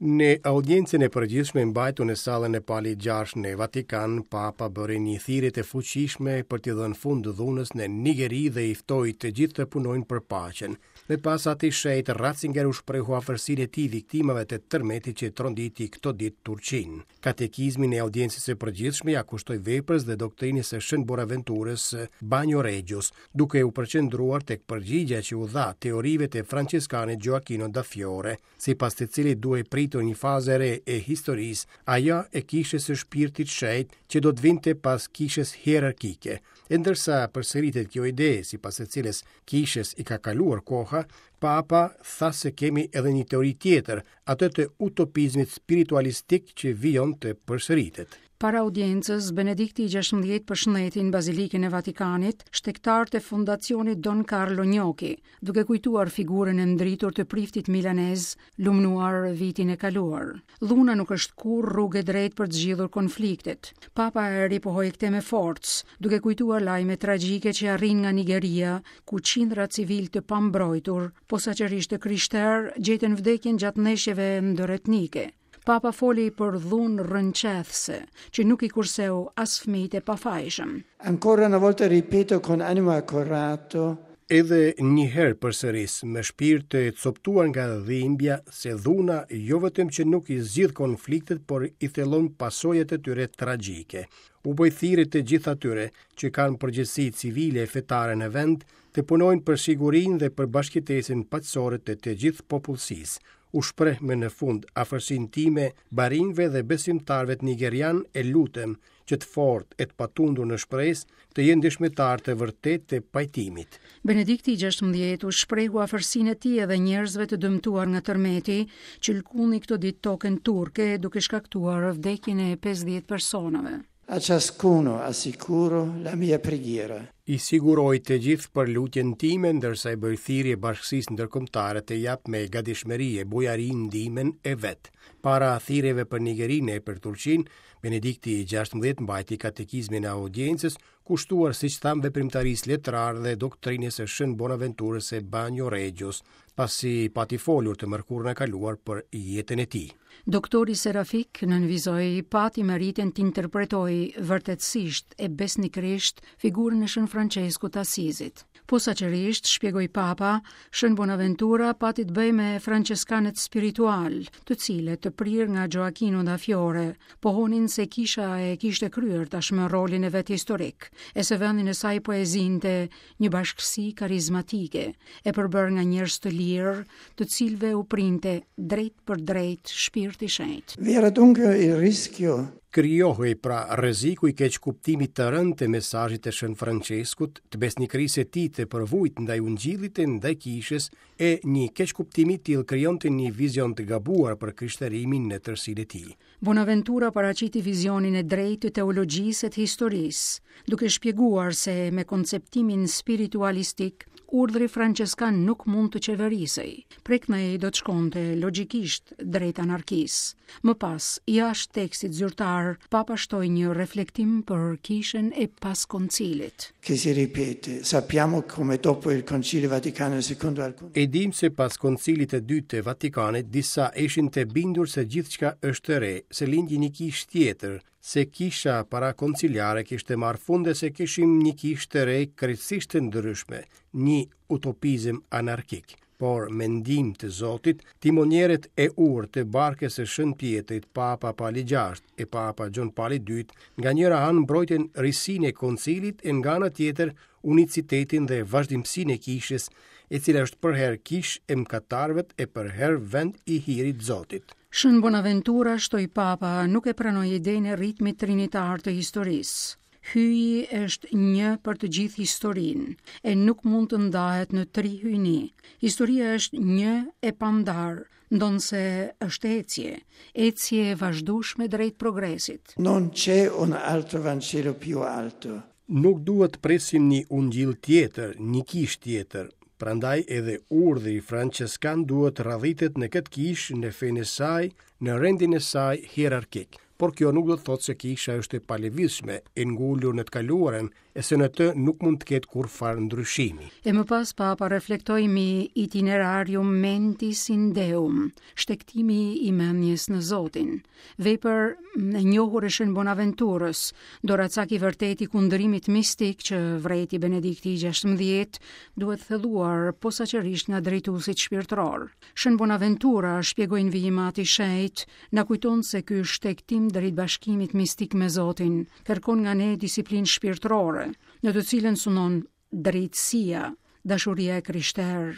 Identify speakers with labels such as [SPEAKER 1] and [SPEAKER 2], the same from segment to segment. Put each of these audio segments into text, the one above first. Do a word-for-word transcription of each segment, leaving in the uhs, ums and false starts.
[SPEAKER 1] Në audiencën e përgjithshme mbajtur në sallën e Palit gjashtë në Vatikan, Papa bëri një thirrje të fuqishme për t'i dhënë fund dhunës në Nigeri dhe i ftoi të gjithë të punojnë për paqen. Më pas Ati i Shenjtë Ratzinger u shprehu afërsinë e tij viktimave të tërmetit që tronditi këto ditë Turqinë. Katekizmin e audiencës së përgjithshme ia kushtoi veprës dhe doktrinës së Shën Bonaventurës Bagnoreggios, duke u përqendruar tek përgjigja që u dha teorive të franceskanit Gioacchino da Fiore, sipas të cilit duhej pritur një fazë e re e historisë, ajo e kishës së Shpirtit Shenjt që do të vinte pas kishës hierarkike. E ndërsa përsëritet kjo ide, sipas së cilës kishës i ka kaluar koha, Papa tha se kemi edhe një teori tjetër, atë të utopizmit spiritualistik që vijon të përsëritet.
[SPEAKER 2] Para audiencës, Benedikti i gjashtëmbëdhjetë përshëndeti në Bazilikën e Vatikanit shtegtarët e fondacionit Don Carlo Gnocchi, duke kujtuar figurën e ndritur të priftit milanez, lumnuar vitin e kaluar. Dhuna nuk është kurrë rrugë e drejtë për të zgjidhur konfliktet. Papa e ripohoi këtë me forcë, duke kujtuar lajme tragjike që arrin nga Nigeria, ku qindra civil të pambrojtur, posaçërisht të krishterë, gjetën vdekjen gjatë ndeshjeve ndëretnike. Papa foli për dhunë rrënqethëse, që nuk i kurseu as fëmijët e pafajshëm.
[SPEAKER 3] Ancora una volta ripeto con animo accorato.
[SPEAKER 1] Edhe një herë përsëris me shpirt të coptuar nga dhimbja se dhuna jo vetëm që nuk i zgjidh konfliktet, por i thellon pasojat e tyre tragjike. U bëj thirrje të gjithë atyre që kanë përgjegjësi civile e fetare në vend të punojnë për sigurinë dhe për bashkëjetesën paqësore të të gjithë popullsisë. U shpreh më në fund afërsinë time barinjve dhe besimtarëve të nigerian e lutem që të fortë e të patundur në shpresë të jenë dëshmitar të vërtetë të pajtimit.
[SPEAKER 2] Benedikti i gjashtëmbëdhjetë u shprehu afërsinë e tij edhe njerëzve të dëmtuar nga tërmeti që lkundi këto ditë tokën turke, duke shkaktuar vdekjen e pesëdhjetë personave.
[SPEAKER 3] A ciascuno assicuro la mia preghiera.
[SPEAKER 1] I siguroj të gjithë për lutjen time, ndërsa i bëj thirrje bashkësisë ndërkombëtare të jap me gatishmëri e bujari ndihmën e vet. Para thirrjeve për Nigerinë e për Turqinë, Benedikti i gjashtëmbëdhjetë mbajti katekizmin e audiencës, kushtuar siç tham veprimtarisë letrare dhe doktrinës së Shën Bonaventurës së Bagnoreggios, pasi pati folur të mërkurën e kaluar për jetën e tij.
[SPEAKER 2] Doktori Serafik nënvizoi pati meritën të interpretojë vërtetësisht e besnikërisht figurën e Shën Franceskut të Asizit. Posaçërisht, shpjegoi Papa, Shën Bonaventura pati të bëjë me franceskanët spiritual, të cilët të prirë nga Gioacchino da Fiore, pohonin se kisha e kishte kryer tashmë rolin e vet historik, e se vendin e saj po e zinte një bashkësi karizmatike, e përbërë nga njerëz të lirë, të cilëve u printe drejt për drejt shpirti i shenjtë.
[SPEAKER 3] Vi era dunque il rischio.
[SPEAKER 1] Krijohej pra rreziku i keqkuptimit të rëndë të mesazhit të Shën Franceskut, të besnikërisë së tij të përvujt ndaj Ungjillit e ndaj kishës, e një keqkuptim i tillë krijonte një vizion të gabuar për krishterimin në tërësinë e tij.
[SPEAKER 2] Bonaventura paraqiti vizionin e drejtë të teologjisë e të historisë, duke shpjeguar se me konceptimin spiritualistik, urdhri franceskan nuk mund të qeverisej. Prej këtej do të shkonte logjikisht drejt anarkisë. Më pas, jashtë tekstit zyrtar, Papa shtoi një reflektim për kishën e pas koncilit.
[SPEAKER 3] Che si ripete, sappiamo come dopo il Concilio Vaticano secondo alcuni.
[SPEAKER 1] E dim se pas koncilit të dytë të Vatikanit, disa ishin të bindur se gjithçka është e re, se lindi një kishë tjetër, se kisha parakonciliare kishte marrë fund e se kishim një kishë të re krejtësisht të ndryshme, një utopizëm anarkik. Por me ndihmë të Zotit, timonierët e urtë të barkës së Shën Pjetrit, Papa Pali gjashtë e Papa Gjon Pali dytë, nga njëra anë mbrojtën risinë e koncilit e nga ana tjetër unicitetin dhe vazhdimësinë e kishës, e cila është përherë kishë e mëkatarëve e përherë vend i hirit Zotit.
[SPEAKER 2] Shën Bonaventura, shtoi Papa, nuk e pranoi idenë e ritmit trinitar të historisë. Hyji është një për të gjithë historinë, e nuk mund të ndahet në tri hyjni. Historia është një e pandar, ndonse është ecje, ecje e vazhdueshme drejt progresit.
[SPEAKER 3] Non c'è un altro Vangelo più alto.
[SPEAKER 1] Nuk duhet të presim një ungjill tjetër, një kishë tjetër. Prandaj edhe urdhri franceskan duhet radhitet në këtë kishë, në fenë e saj, në rendin e saj hierarkik. Por kjo nuk do të thotë se kisha është e palëvizshme, e ngulur në të kaluarën, e se në të nuk mund të ketë kurrfarë ndryshimi.
[SPEAKER 2] E më pas Papa reflektoi mbi itinerarium mentis in Deum, shtegtimi i mendjes në Zotin, vepër e njohur e Shën Bonaventurës, doracak i vërtet i kundrimit mistik që vrejti Benedikti i gjashtëmbëdhjetë duhet thelluar posaçërisht nga drejtuesit shpirtëror. Shën Bonaventura, shpjegoi në vijim Ati i Shenjtë, na kujton se ky shtegtim drejt bashkimit mistik me Zotin kërkon nga ne disiplinë shpirtërore, në të cilën sunon drejtësia, dashuria e krishterë,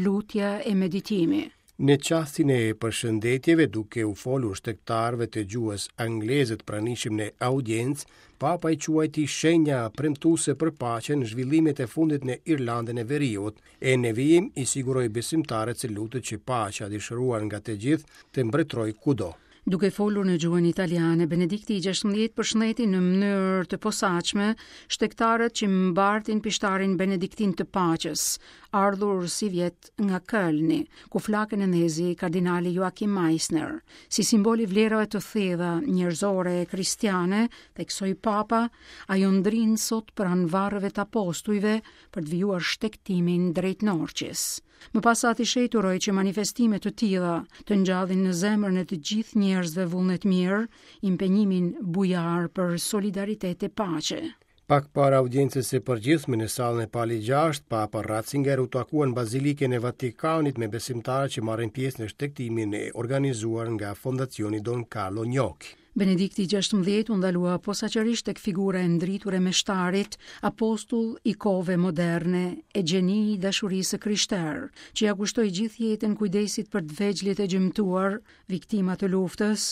[SPEAKER 2] lutja e meditimi.
[SPEAKER 1] Në çastin e përshëndetjeve, duke u folur shtegtarëve të gjuhës angleze të pranishëm në audiencë, Papa i quajti shenja premtuese për paqen zhvillimet e fundit në Irlandën e Veriut, e në vijim i siguroi besimtarët se lutet që paqja dëshiruar nga të gjithë të mbretërojë kudo.
[SPEAKER 2] Duke folur në gjuhën italiane, Benedikti i gjashtëmbëdhjetë përshëndeti në mënyrë të posaçme shtegtarët që mbartin pishtarin benediktin të paqes, ardhur si vjet nga Kölni, ku flakën e ndezi kardinali Joachim Meisner. Si simbol i vlerave të thella njerëzore e kristiane, theksoi Papa, ajo ndrin sot pranë varreve të apostujve për të vijuar shtegtimin drejt Norçes. Më pas Ati i Shenjtë uroi që manifestime të tilla të ngjallin në zemrën e të gjithë njerëzve vullnet mirë, impenjimin bujar për solidaritet e paqe.
[SPEAKER 1] Pak para audiencës së përgjithshme në sallën e Pali gjashtë, Papa Ratzinger u takua në Bazilikën e Vatikanit me besimtarë që marrin pjesë në shtegtimin e organizuar nga Fondacioni Don Carlo Gnocchi.
[SPEAKER 2] Benedikti i gjashtëmbëdhjetë u ndalua posaçërisht tek figura e ndritur e meshtarit, apostull i kohëve moderne e gjeni i dashurisë së krishterë, që ja kushtoi gjithë jetën kujdesit për të vegjlit e gjymtuar, viktima të luftës,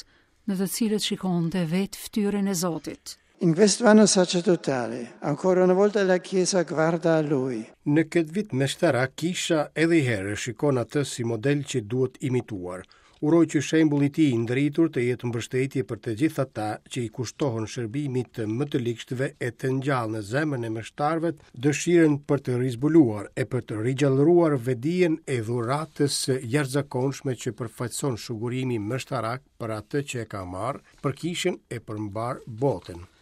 [SPEAKER 2] në të cilët shikonte vetë fytyrën e Zotit.
[SPEAKER 3] In questo anno sacerdotale, ancora una volta la Chiesa guarda a lui.
[SPEAKER 1] Në këtë vit meshtarak, kisha edhe i herë shikon atë si model që duhet imituar. Uroj që shembulli i tij i ndritur të jetë mbështetje për të gjithë ata që i kushtohen shërbimit të më të ligshtëve e të ngjallë në zemrën e meshtarëve dëshirën për të rizbuluar e për të rigjallëruar vedijen e dhuratës së jashtëzakonshme që përfaqëson shugurimi meshtarak për atë që e ka marrë, për kishën e për mbar botën.